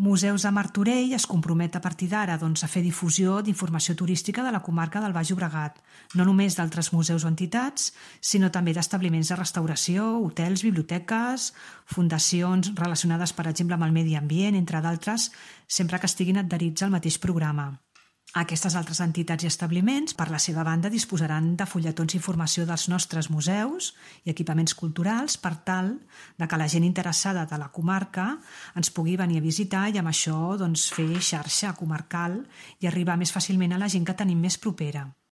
Museus de Martorell es compromet a partir d'ara a fer difusió d'informació turística de la comarca del Baix Llobregat, no només d'altres museus o entitats, sinó també d'establiments de restauració, hotels, biblioteques, fundacions relacionades, per exemple, amb el medi ambient, entre d'altres, sempre que estiguin adherits al mateix programa. Aquestes altres entitats i establiments, per la seva banda, disposaran de fulletons d'informació dels nostres museus i equipaments culturals per tal que la gent interessada de la comarca ens pugui venir a visitar i amb això fer xarxa comarcal i arribar més fàcilment a la gent que tenim més propera.